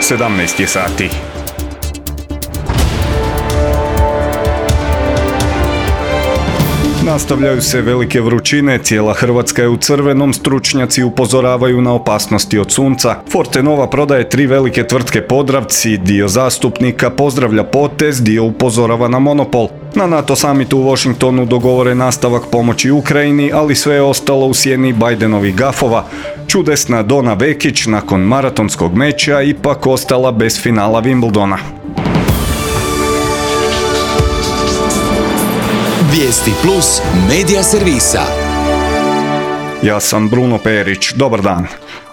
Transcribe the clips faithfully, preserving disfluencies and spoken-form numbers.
sedamnaest je sati. Nastavljaju se velike vrućine, cijela Hrvatska je u crvenom, stručnjaci upozoravaju na opasnosti od sunca. Fortenova prodaje tri velike tvrtke Podravci, dio zastupnika pozdravlja potez, dio upozorava na monopol. Na NATO samitu u Washingtonu dogovore nastavak pomoći Ukrajini, ali sve je ostalo u sjeni Bidenovih gafova. Čudesna Dona Vekić nakon maratonskog meča ipak ostala bez finala Wimbledona. Vijesti plus medija servisa. Ja sam Bruno Perić, dobar dan.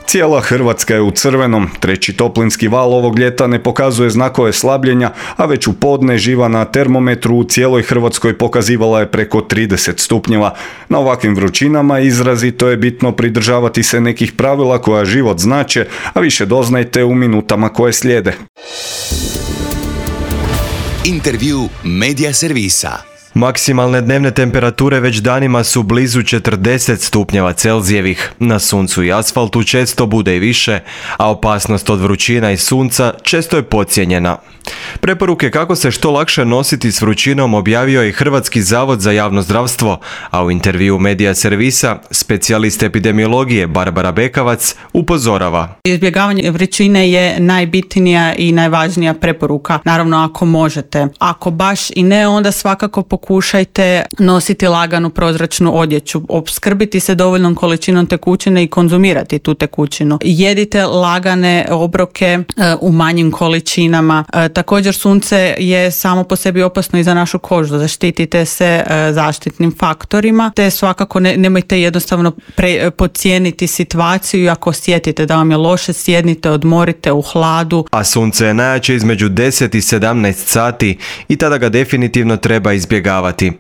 Cijela Hrvatska je u crvenom, treći toplinski val ovog ljeta ne pokazuje znakove slabljenja, a već u podne živa na termometru u cijeloj Hrvatskoj pokazivala je preko trideset stupnjeva. Na ovakvim vrućinama izrazito je bitno pridržavati se nekih pravila koja život znače, a više doznajte u minutama koje slijede. Intervju medija servisa. Maksimalne dnevne temperature već danima su blizu četrdeset stupnjeva Celzijevih. Na suncu i asfaltu često bude i više, a opasnost od vrućina i sunca često je podcijenjena. Preporuke kako se što lakše nositi s vrućinom objavio je Hrvatski zavod za javno zdravstvo, a u intervju medija servisa specijalist epidemiologije Barbara Bekavac upozorava. Izbjegavanje vrućine je najbitnija i najvažnija preporuka, naravno ako možete. Ako baš i ne, onda svakako pokušajte nositi laganu prozračnu odjeću, opskrbiti se dovoljnom količinom tekućine i konzumirati tu tekućinu. Jedite lagane obroke e, u manjim količinama. E, također sunce je samo po sebi opasno i za našu kožu. Zaštitite se e, zaštitnim faktorima, te svakako ne, nemojte jednostavno pre, podcijeniti situaciju i ako osjetite da vam je loše, sjednite, odmorite u hladu. A sunce je najjače između deset i sedamnaest sati i tada ga definitivno treba izbjegavati.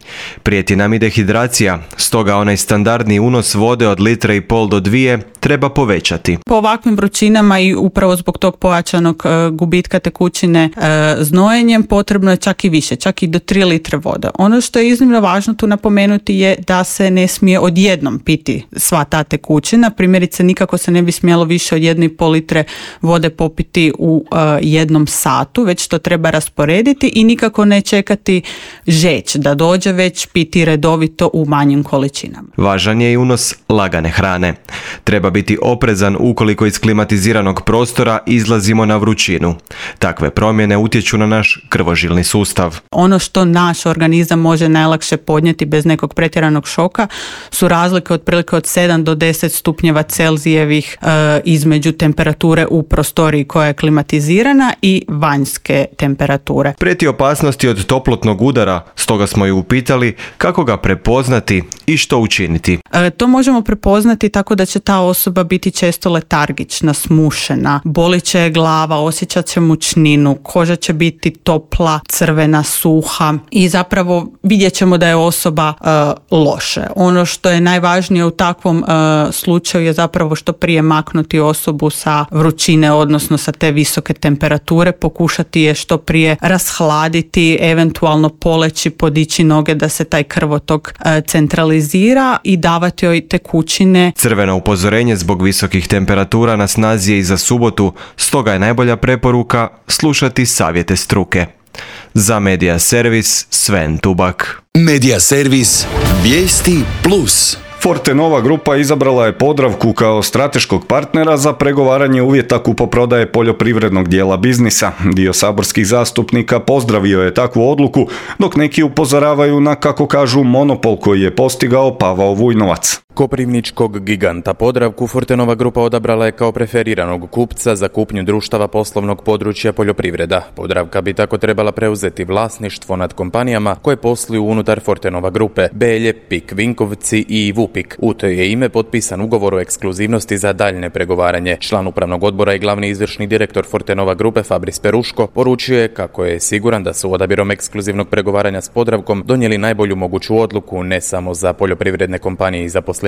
Prijeti nam i dehidracija, stoga onaj standardni unos vode od litre i pol do dvije treba povećati. Po ovakvim vrućinama i upravo zbog tog pojačanog e, gubitka tekućine e, znojenjem potrebno je čak i više, čak i do tri litre vode. Ono što je iznimno važno tu napomenuti je da se ne smije odjednom piti sva ta tekućina. Primjerice, nikako se ne bi smjelo više od jedne i pol litre vode popiti u e, jednom satu, već to treba rasporediti i nikako ne čekati žeć da dođe, već piti redovito u manjim količinama. Važan je i unos lagane hrane. Treba biti oprezan ukoliko iz klimatiziranog prostora izlazimo na vrućinu. Takve promjene utječu na naš krvožilni sustav. Ono što naš organizam može najlakše podnijeti bez nekog pretjeranog šoka su razlike otprilike od sedam do deset stupnjeva Celzijevih e, između temperature u prostoriji koja je klimatizirana i vanjske temperature. Prijeti opasnosti od toplotnog udara, stoga smo ju upitali kako ga prepoznati i što učiniti. E, to možemo prepoznati tako da će ta osoba biti često letargična, smušena, bolit će glava, osjećat će mučninu, koža će biti topla, crvena, suha i zapravo vidjet ćemo da je osoba e, loše. Ono što je najvažnije u takvom e, slučaju je zapravo što prije maknuti osobu sa vrućine, odnosno sa te visoke temperature, pokušati je što prije rashladiti, eventualno poleći, podići noge da se taj krvotok e, centralizira i davati joj tekućine. Crveno upozorenje zbog visokih temperatura na snazi je i za subotu, stoga je najbolja preporuka slušati savjete struke. Za Medija servis Sven Tubak. Medija servis Vijesti plus. Fortenova grupa izabrala je Podravku kao strateškog partnera za pregovaranje uvjeta kupoprodaje poljoprivrednog dijela biznisa. Dio saborskih zastupnika pozdravio je takvu odluku, dok neki upozoravaju na, kako kažu, monopol koji je postigao Pavao Vujnovac. Koprivničkog giganta Podravku Fortenova grupa odabrala je kao preferiranog kupca za kupnju društava poslovnog područja poljoprivreda. Podravka bi tako trebala preuzeti vlasništvo nad kompanijama koje posluju unutar Fortenova grupe Belje, Pik Vinkovci i Vupik. U to je ime potpisan ugovor o ekskluzivnosti za daljne pregovaranje. Član upravnog odbora i glavni izvršni direktor Fortenova grupe Fabris Peruško poručio je kako je siguran da su odabirom ekskluzivnog pregovaranja s Podravkom donijeli najbolju moguću odluku ne samo za poljoprivredne kompanije i zaposlenike,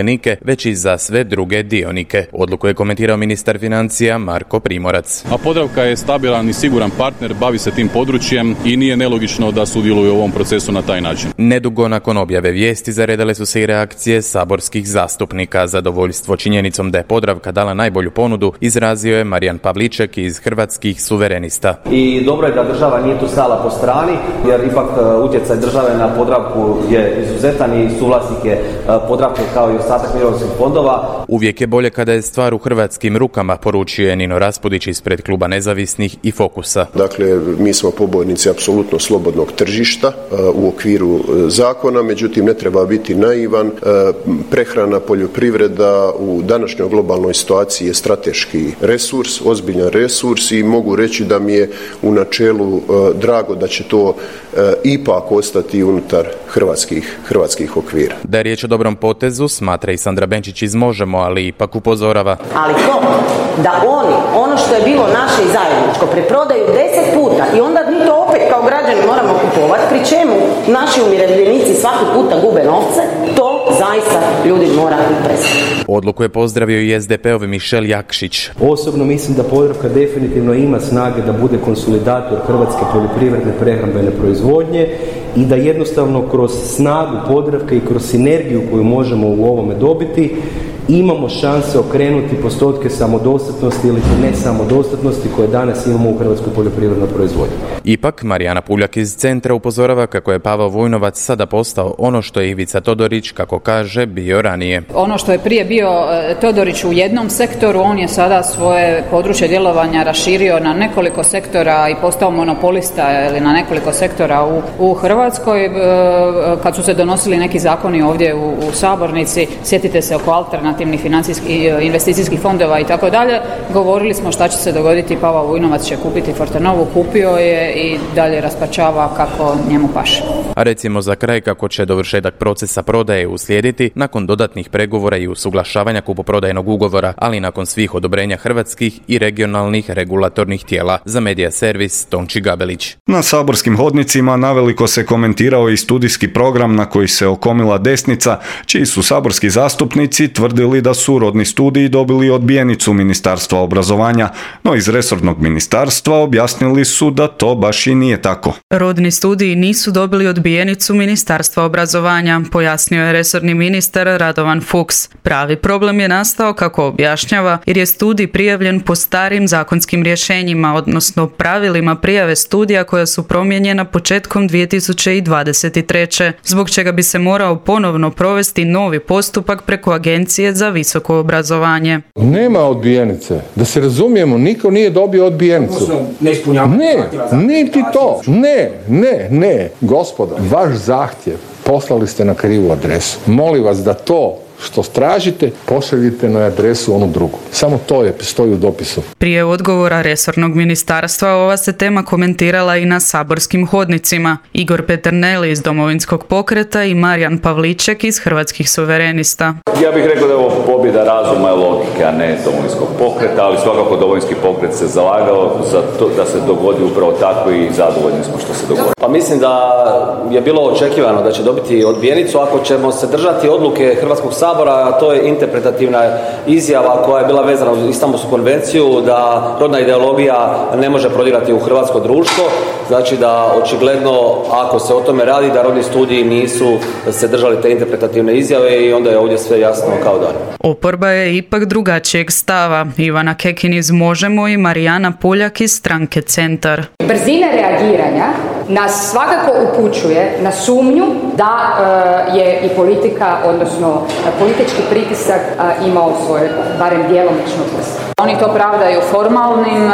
već i za sve druge dionike. Odluku je komentirao ministar financija Marko Primorac. A Podravka je stabilan i siguran partner, bavi se tim područjem i nije nelogično da sudjeluje u ovom procesu na taj način. Nedugo nakon objave vijesti zaredale su se i reakcije saborskih saborskih zastupnika. Zadovoljstvo činjenicom da je Podravka dala najbolju ponudu izrazio je Marijan Pavliček iz Hrvatskih suverenista. I dobro je da država nije tu stala po strani, jer ipak utjecaj države na Podravku je izuzetan i suvlasnik je Podravke kao i ostatak mirovinskih fondova. Uvijek je bolje kada je stvar u hrvatskim rukama, poručio je Nino Raspudić ispred kluba Nezavisnih i Fokusa. Dakle, mi smo pobojnici apsolutno slobodnog tržišta u okviru zakona, međutim ne treba biti naivan. Prehrana, poljoprivreda u današnjoj globalnoj situaciji je strateški resurs, ozbiljan resurs i mogu reći da mi je u načelu drago da će to ipak ostati unutar hrvatskih, hrvatskih okvira. Da je riječ o dobrom potezu, smatra i Sandra Benčić iz Možemo, ali ipak upozorava. Ali to da oni, ono što je bilo naše i zajedničko, preprodaju deset puta i onda mi to opet kao građani moramo kupovati, pri čemu naši umirovljenici svaki puta gube novce, to zaista ljudi mora prestati. Odluku je pozdravio i es de pe-ov Mišel Jakšić. Osobno mislim da Podravka definitivno ima snage da bude konsolidator hrvatske poljoprivredne prehrambene proizvodnje i da jednostavno kroz snagu Podravke i kroz sinergiju koju možemo u ovome dobiti imamo šanse okrenuti postotke samodostatnosti ili ne samodostatnosti koje danas imamo u hrvatskoj poljoprivrednoj proizvodnji. Ipak, Marijana Puljak iz Centra upozorava kako je Pavao Vujnovac sada postao ono što je Ivica Todorić, kako kaže, bio ranije. Ono što je prije bio Todorić u jednom sektoru, on je sada svoje područje djelovanja raširio na nekoliko sektora i postao monopolista ili na nekoliko sektora u, u Hrvatskoj. Kad su se donosili neki zakoni ovdje u, u sabornici, sjetite se oko alternativnih financijskih investicijskih fondova i tako dalje, govorili smo šta će se dogoditi. Pavao Vujnovac će kupiti Fortenovu, kupio je i dalje raspačava kako njemu paše. A recimo za kraj kako će dovršetak procesa prodaje uslijediti nakon dodatnih pregovora i usuglašavanja kupoprodajnog ugovora, ali nakon svih odobrenja hrvatskih i regionalnih regulatornih tijela. Za Medija servis Tonči Gabelić. Na saborskim hodnicima naveliko se komentirao i studijski program na koji se okomila desnica, čiji su saborski zastupnici tvrdili da su rodni studiji dobili odbijenicu Ministarstva obrazovanja, no iz resornog ministarstva objasnili su da to baš i nije tako. Rodni studiji nisu dobili odbijenicu Ministarstva obrazovanja, pojasnio je resorni ministar Radovan Fuchs. Pravi problem je nastao, kako objašnjava, jer je studij prijavljen po starim zakonskim rješenjima, odnosno pravilima prijave studija koja su promijenjena početkom dvije tisuće dvadeset treće, zbog čega bi se morao ponovno provesti novi postupak preko Agencije za visoko obrazovanje. Nema odbijenice. Da se razumijemo, niko nije dobio odbijenicu. Ne, niti to. Ne, ne, ne. Gospodo, vaš zahtjev poslali ste na krivu adresu. Molim vas da to što tražite, pošaljite na adresu onu drugu. Samo to je stoji u dopisu. Prije odgovora resornog ministarstva ova se tema komentirala i na saborskim hodnicima. Igor Peternelli iz Domovinskog pokreta i Marijan Pavliček iz Hrvatskih suverenista. Ja bih rekao da je ovo pobjeda razuma i logike, a ne Domovinskog pokreta, ali svakako Domovinski pokret se zalagao za to da se dogodi upravo tako i zadovoljni smo što se dogodilo. Pa mislim da je bilo očekivano da će dobiti odbijenicu ako ćemo se držati odluke Hrvatskog sabora, a to je interpretativna izjava koja je bila vezana uz Istanbulsku konvenciju da rodna ideologija ne može prodirati u hrvatsko društvo. Znači da očigledno ako se o tome radi da rodni studiji nisu se držali te interpretativne izjave i onda je ovdje sve jasno kao dan. Oporba je ipak drugačijeg stava. Ivana Kekin iz Možemo i Marijana Puljak iz stranke Centar. Brzina reagiranja nas svakako upućuje na sumnju da uh, je i politika, odnosno politički pritisak uh, imao svoje, barem djelomično prst. Oni to pravdaju formalnim uh,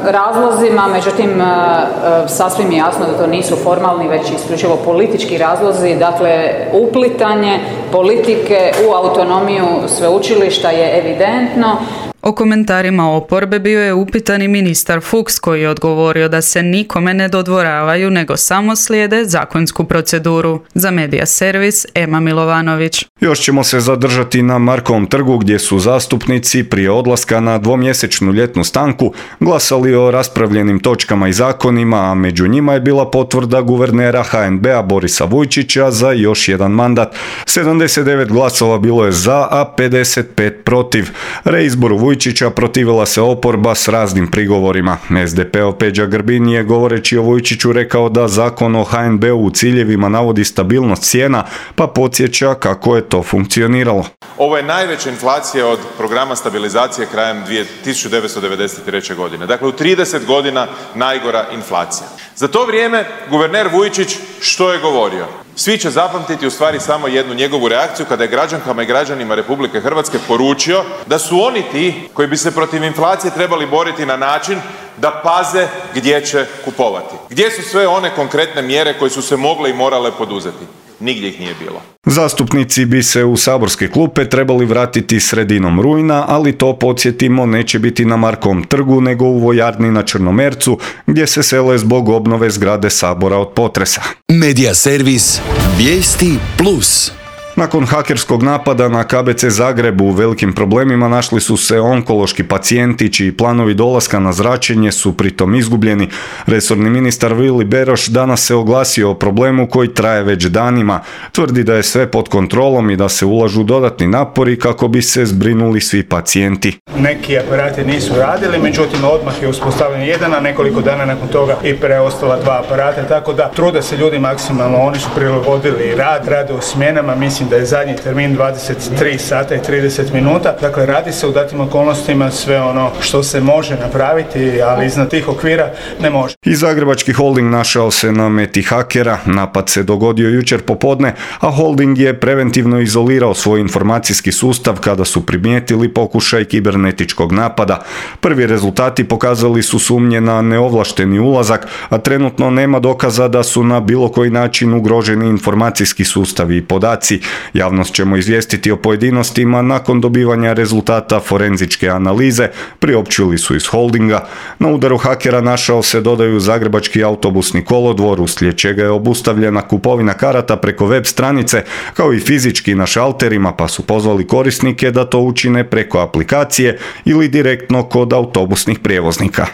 razlozima, međutim uh, uh, sasvim je jasno da to nisu formalni, već isključivo politički razlozi. Dakle, uplitanje politike u autonomiju sveučilišta je evidentno. O komentarima oporbe bio je upitan i ministar Fuchs, koji je odgovorio da se nikome ne dodvoravaju, nego samo slijede zakonsku proceduru. Za Medija servis Ema Milovanović. Još ćemo se zadržati na Markovom trgu, gdje su zastupnici prije odlaska na dvomjesečnu ljetnu stanku glasali o raspravljenim točkama i zakonima, a među njima je bila potvrda guvernera ha en be-a Borisa Vujčića za još jedan mandat. sedamdeset devet glasova bilo je za, a pedeset pet protiv. Reizboru Vujčića Vujčića protivila se oporba s raznim prigovorima. es de peov Peđa Grbin je govoreći o Vujčiću rekao da zakon o ha en be u ciljevima navodi stabilnost cijena, pa podsjeća kako je to funkcioniralo. Ovo je najveća inflacija od programa stabilizacije krajem tisuću devetsto devedeset treće. godine. Dakle, u trideset godina najgora inflacija. Za to vrijeme guverner Vujčić što je govorio? Svi će zapamtiti u stvari samo jednu njegovu reakciju kada je građankama i građanima Republike Hrvatske poručio da su oni ti koji bi se protiv inflacije trebali boriti na način da paze gdje će kupovati. Gdje su sve one konkretne mjere koje su se mogle i morale poduzeti? Nigdje ih nije bilo. Zastupnici bi se u saborske klupe trebali vratiti sredinom rujna, ali to, podsjetimo, neće biti na Markovom trgu nego u vojarni na Črnomercu, gdje se sele zbog obnove zgrade Sabora od potresa. Medija servis Vijesti plus. Nakon hakerskog napada na ka be ce Zagreb u velikim problemima našli su se onkološki pacijenti čiji planovi dolaska na zračenje su pritom izgubljeni. Resorni ministar Vili Beroš danas se oglasio o problemu koji traje već danima. Tvrdi da je sve pod kontrolom i da se ulažu dodatni napori kako bi se zbrinuli svi pacijenti. Neki aparati nisu radili, međutim odmah je uspostavljen jedan, a nekoliko dana nakon toga i preostala dva aparata, tako da trude se ljudi maksimalno, oni su prilagodili rad, rade u smjenama, mislim da je zadnji termin dvadeset tri sata i trideset minuta, dakle radi se u datim okolnostima sve ono što se može napraviti, ali iznad tih okvira ne može. I Zagrebački holding našao se na meti hakera, napad se dogodio jučer popodne, a holding je preventivno izolirao svoj informacijski sustav kada su primijetili pokušaj kibernetičkog napada. Prvi rezultati pokazali su sumnje na neovlašteni ulazak, a trenutno nema dokaza da su na bilo koji način ugroženi informacijski sustavi i podaci. Javnost ćemo izvijestiti o pojedinostima nakon dobivanja rezultata forenzičke analize, priopćili su iz holdinga. Na udaru hakera našao se, dodaju, Zagrebački autobusni kolodvor, uslijed čega je obustavljena kupovina karata preko web stranice, kao i fizički na šalterima, pa su pozvali korisnike da to učine preko aplikacije ili direktno kod autobusnih prijevoznika.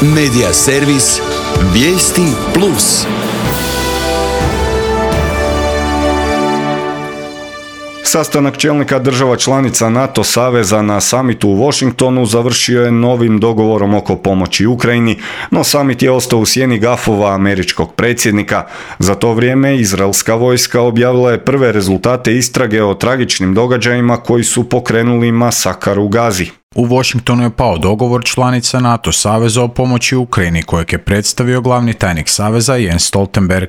Medija servis Vijesti plus. Sastanak čelnika država članica NATO saveza na samitu u Washingtonu završio je novim dogovorom oko pomoći Ukrajini, no samit je ostao u sjeni gafova američkog predsjednika. Za to vrijeme izraelska vojska objavila je prve rezultate istrage o tragičnim događajima koji su pokrenuli masakar u Gazi. U Washingtonu je pao dogovor članica NATO saveza o pomoći Ukrajini kojeg je predstavio glavni tajnik saveza Jens Stoltenberg.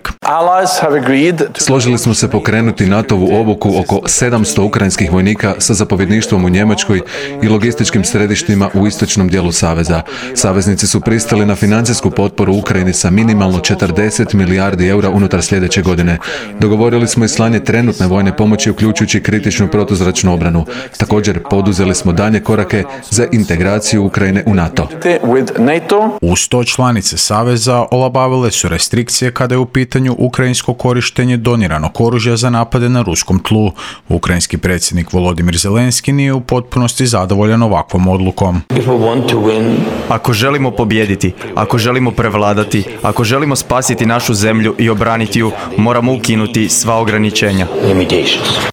Složili smo se pokrenuti natovu obuku oko sedamsto ukrajinskih vojnika sa zapovjedništvom u Njemačkoj i logističkim središtima u istočnom dijelu saveza. Saveznici su pristali na financijsku potporu Ukrajini sa minimalno četrdeset milijardi eura unutar sljedeće godine. Dogovorili smo i slanje trenutne vojne pomoći uključujući kritičnu protuzračnu obranu. Također poduzeli smo daljnje korake za integraciju Ukrajine u NATO. Uz to članice saveza olabavile su restrikcije kada je u pitanju ukrajinsko korištenje doniranog oružja za napade na ruskom tlu. Ukrajinski predsjednik Volodimir Zelenski nije u potpunosti zadovoljan ovakvom odlukom. Ako želimo pobijediti, ako želimo prevladati, ako želimo spasiti našu zemlju i obraniti ju, moramo ukinuti sva ograničenja.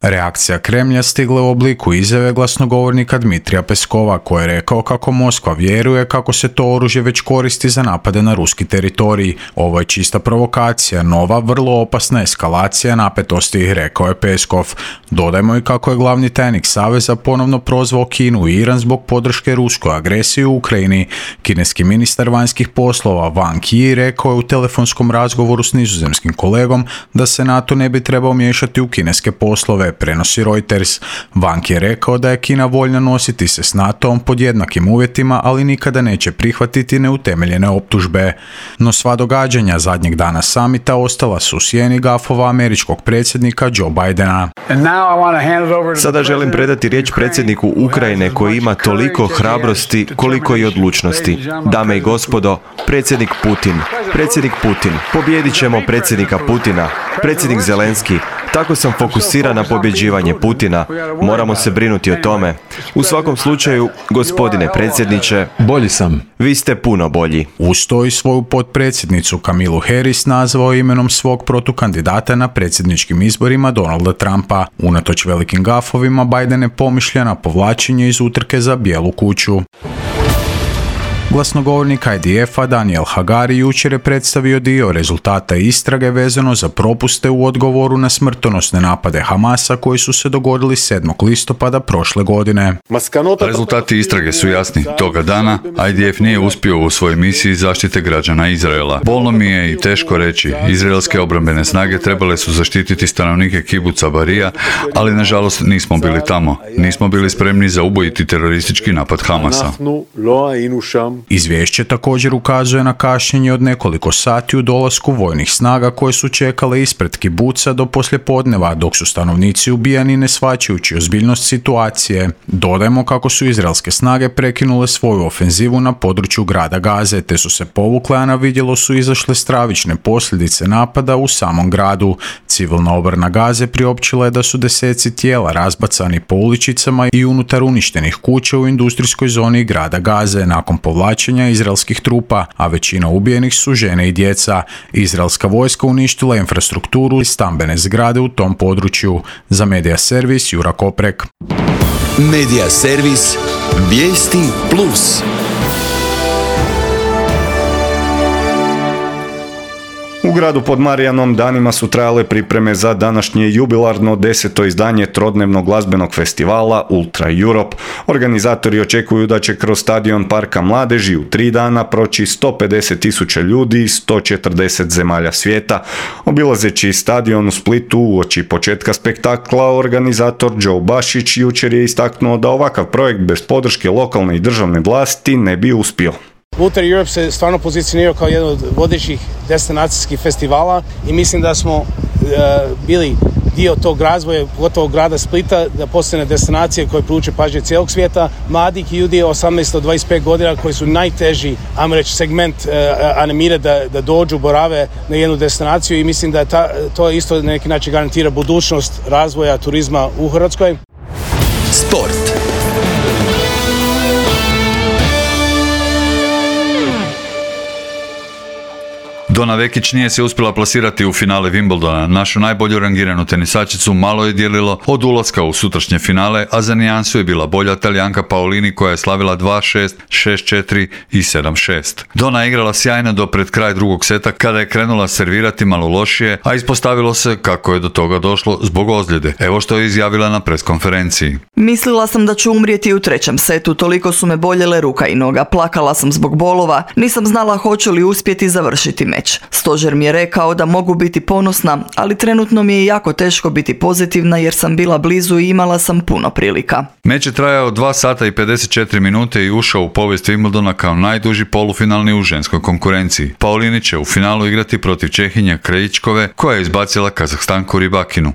Reakcija Kremlja stigla u obliku izjave glasnogovornika Dmitrija Peskova, koji je rekao kako Moskva vjeruje kako se to oružje već koristi za napade na ruski teritorij. Ovo je čista provokacija, nova, vrlo opasna eskalacija napetosti, rekao je Peskov. Dodajmo i kako je glavni tajnik saveza ponovno prozvao Kinu i Iran zbog podrške ruskoj agresiji u Ukrajini. Kineski ministar vanjskih poslova Wang Yi rekao je u telefonskom razgovoru s nizozemskim kolegom da se NATO ne bi trebao miješati u kineske poslove, prenosi Reuters. Wang je rekao da je Kina voljna nositi se s NATO-om pod jednakim uvjetima, ali nikada neće prihvatiti neutemeljene optužbe. No sva događanja zadnjeg dana samita ostala su u sjeni gafova američkog predsjednika Joe Bidena. Sada želim predati riječ predsjedniku Ukrajine koji ima toliko hrabrosti koliko i odlučnosti. Dame i gospodo, predsjednik Putin. Predsjednik Putin. Pobijedit ćemo predsjednika Putina. Predsjednik Zelenski. Tako sam fokusiran na pobjeđivanje Putina. Moramo se brinuti o tome. U svakom slučaju, gospodine predsjedniče, bolji sam. Vi ste puno bolji. Uz to i svoju potpredsjednicu Kamilu Harris nazvao imenom svog protukandidata na predsjedničkim izborima Donalda Trumpa. Unatoč velikim gafovima, Biden je pomišlja na povlačenje iz utrke za Bijelu kuću. Glasnogovornik I D F-a Daniel Hagari jučer je predstavio dio rezultata istrage vezano za propuste u odgovoru na smrtonosne napade Hamasa koji su se dogodili sedmog listopada prošle godine. Rezultati istrage su jasni. Toga dana I D F nije uspio u svojoj misiji zaštite građana Izraela. Bolno mi je i teško reći. Izraelske obrambene snage trebale su zaštititi stanovnike kibuca Barija, ali nažalost nismo bili tamo. Nismo bili spremni za ubojiti teroristički napad Hamasa. Izvješće također ukazuje na kašnjenje od nekoliko sati u dolasku vojnih snaga koje su čekale ispred kibuca do poslijepodneva, dok su stanovnici ubijani ne shvaćajući ozbiljnost situacije. Dodajmo kako su izraelske snage prekinule svoju ofenzivu na području grada Gaze, te su se povukle, a na vidjelo su izašle stravične posljedice napada u samom gradu. Civilna obrana Gaze priopćila je da su deseci tijela razbacani po uličicama i unutar uništenih kuća u industrijskoj zoni grada Gaze nakon povlačenja izraelskih trupa, a većina ubijenih su žene i djeca. Izraelska vojska uništila infrastrukturu i stambene zgrade u tom području. Za Medija servis Jura Koprek. Medija servis Vijesti plus. U gradu pod Marijanom danima su trajale pripreme za današnje jubilarno deseto izdanje trodnevnog glazbenog festivala Ultra Europe. Organizatori očekuju da će kroz stadion Parka Mladeži u tri dana proći sto pedeset tisuća ljudi iz sto četrdeset zemalja svijeta. Obilazeći stadion u Splitu uoči početka spektakla, organizator Joe Bašić jučer je istaknuo da ovakav projekt bez podrške lokalne i državne vlasti ne bi uspio. Ultra Europe se stvarno pozicionirao kao jedan od vodećih destinacijskih festivala i mislim da smo uh, bili dio tog razvoja, pogotovo grada Splita, da postane destinacija koja privuče pažnje cijelog svijeta, mladih ljudi osamnaest do dvadeset pet godina koji su najteži, ajmo reći, segment uh, animira da, da dođu, borave na jednu destinaciju i mislim da ta, to isto na neki način garantira budućnost razvoja turizma u Hrvatskoj. Sport. Donna Vekić nije se uspjela plasirati u finale Wimbledona. Našu najbolju rangiranu tenisačicu malo je dijelilo od ulaska u sutrašnje finale, a za nijansu je bila bolja Talijanka Paolini koja je slavila dva šest, šest četiri i sedam šest. Donna je igrala sjajno do pred kraj drugog seta kada je krenula servirati malo lošije, a ispostavilo se kako je do toga došlo zbog ozljede. Evo što je izjavila na preskonferenciji. Mislila sam da ću umrijeti u trećem setu, toliko su me boljele ruka i noga, plakala sam zbog bolova, nisam znala hoću li uspjeti završiti meč. Stožer mi je rekao da mogu biti ponosna, ali trenutno mi je jako teško biti pozitivna jer sam bila blizu i imala sam puno prilika. Meč je trajao dva sata i pedeset četiri minute i ušao u povijest Wimbledona kao najduži polufinalni u ženskoj konkurenciji. Paolini će u finalu igrati protiv Čehinje Krajičkove koja je izbacila Kazahstanku Ribakinu.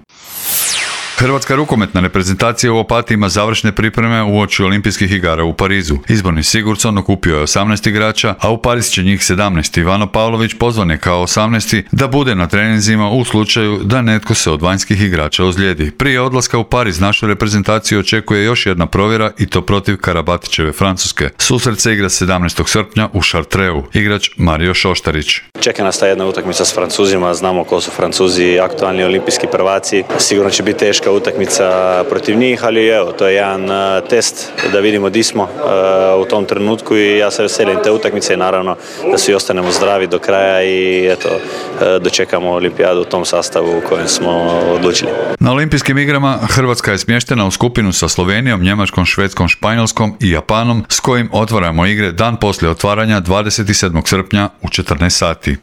Hrvatska rukometna reprezentacija u Opatiji ima završne pripreme uoči olimpijskih igara u Parizu. Izborni Sigurdsson okupio je osamnaest igrača, a u Pariz će njih sedamnaest. Ivano Pavlović pozvan je kao osamnaesti da bude na treninzima u slučaju da netko se od vanjskih igrača ozlijedi. Prije odlaska u Pariz našu reprezentaciju očekuje još jedna provjera i to protiv Karabatićeve Francuske. Susret se igra sedamnaestog srpnja u Chartreu. Igrač Mario Šoštarić. Čeka nas ta jedna utakmica s Francuzima, znamo ko su Francuzi, aktualni olimpijski prvaci. Sigurno će biti teška utakmica protiv njih, ali evo, to je jedan uh, test da vidimo di smo uh, u tom trenutku i ja se veselim te utakmice i naravno da svi ostanemo zdravi do kraja i eto, uh, dočekamo olimpijadu u tom sastavu u kojem smo odlučili. Na olimpijskim igrama Hrvatska je smještena u skupinu sa Slovenijom, Njemačkom, Švedskom, Španjolskom i Japanom s kojim otvaramo igre dan poslije otvaranja dvadeset sedmog srpnja u četrnaest sati.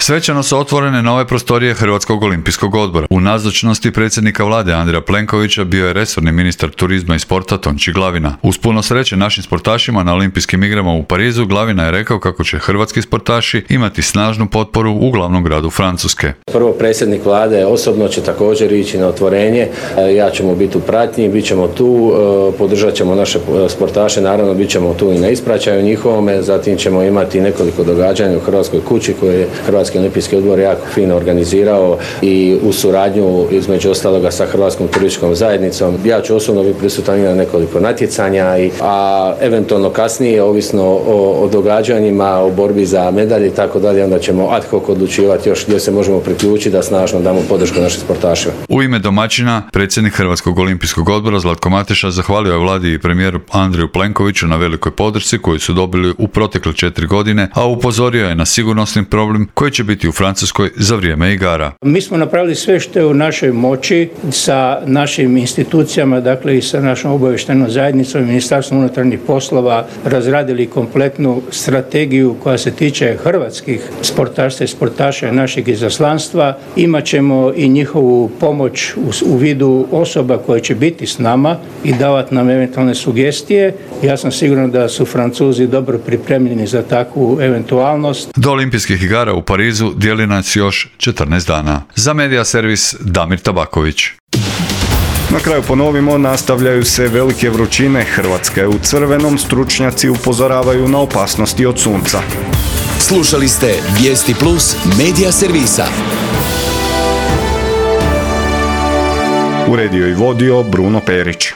Svečano su otvorene nove prostorije Hrvatskog olimpijskog odbora. U nazočnosti predsjednika vlade Andreja Plenkovića bio je resorni ministar turizma i sporta Tonči Glavina. Uz puno sreće našim sportašima na olimpijskim igrama u Parizu, Glavina je rekao kako će hrvatski sportaši imati snažnu potporu u glavnom gradu Francuske. Prvo predsjednik vlade osobno će također ići na otvorenje. Ja ćemo biti u pratnji, bit ćemo tu, podržat ćemo naše sportaše, naravno bit ćemo tu i na ispraćaju njihovome, zatim ćemo imati nekoliko događanja u Hrvatskoj kući koje je Hrvatski olimpijski odbor jako fino organizirao i u suradnju između ostaloga sa Hrvatskom turističkom zajednicom. Ja ću osobno biti prisutan i na nekoliko natjecanja, i, a eventualno kasnije, ovisno o, o događanjima, o borbi za medalje i tako dalje, onda ćemo ad hoc odlučivati još gdje se možemo priključiti da snažno damo podršku našim sportašima. U ime domaćina, predsjednik Hrvatskog olimpijskog odbora Zlatko Mateša zahvalio je vladi i premijeru Andreju Plenkoviću na velikoj podršci koju su dobili u protekle četiri godine, a upozorio je na sigurnosni problem koji će biti u Francuskoj za vrijeme igara. Mi smo napravili sve što je u našoj moći sa našim institucijama, dakle i sa našom obavještajnom zajednicom i Ministarstvom unutarnjih poslova, razradili kompletnu strategiju koja se tiče hrvatskih sportaša i sportaša našeg izaslanstva. Imaćemo i njihovu pomoć u, u vidu osoba koje će biti s nama i davati nam eventualne sugestije. Ja sam siguran da su Francuzi dobro pripremljeni za takvu eventualnost. Do olimpijskih igara u Parizu dijeli nas još četrnaest dana. Za Medija servis Damir Tabaković. Na kraju ponovimo, nastavljaju se velike vrućine, Hrvatska je u crvenom, stručnjaci upozoravaju na opasnosti od sunca. Slušali ste Vijesti Plus Medija servisa. Uredio i vodio Bruno Perić.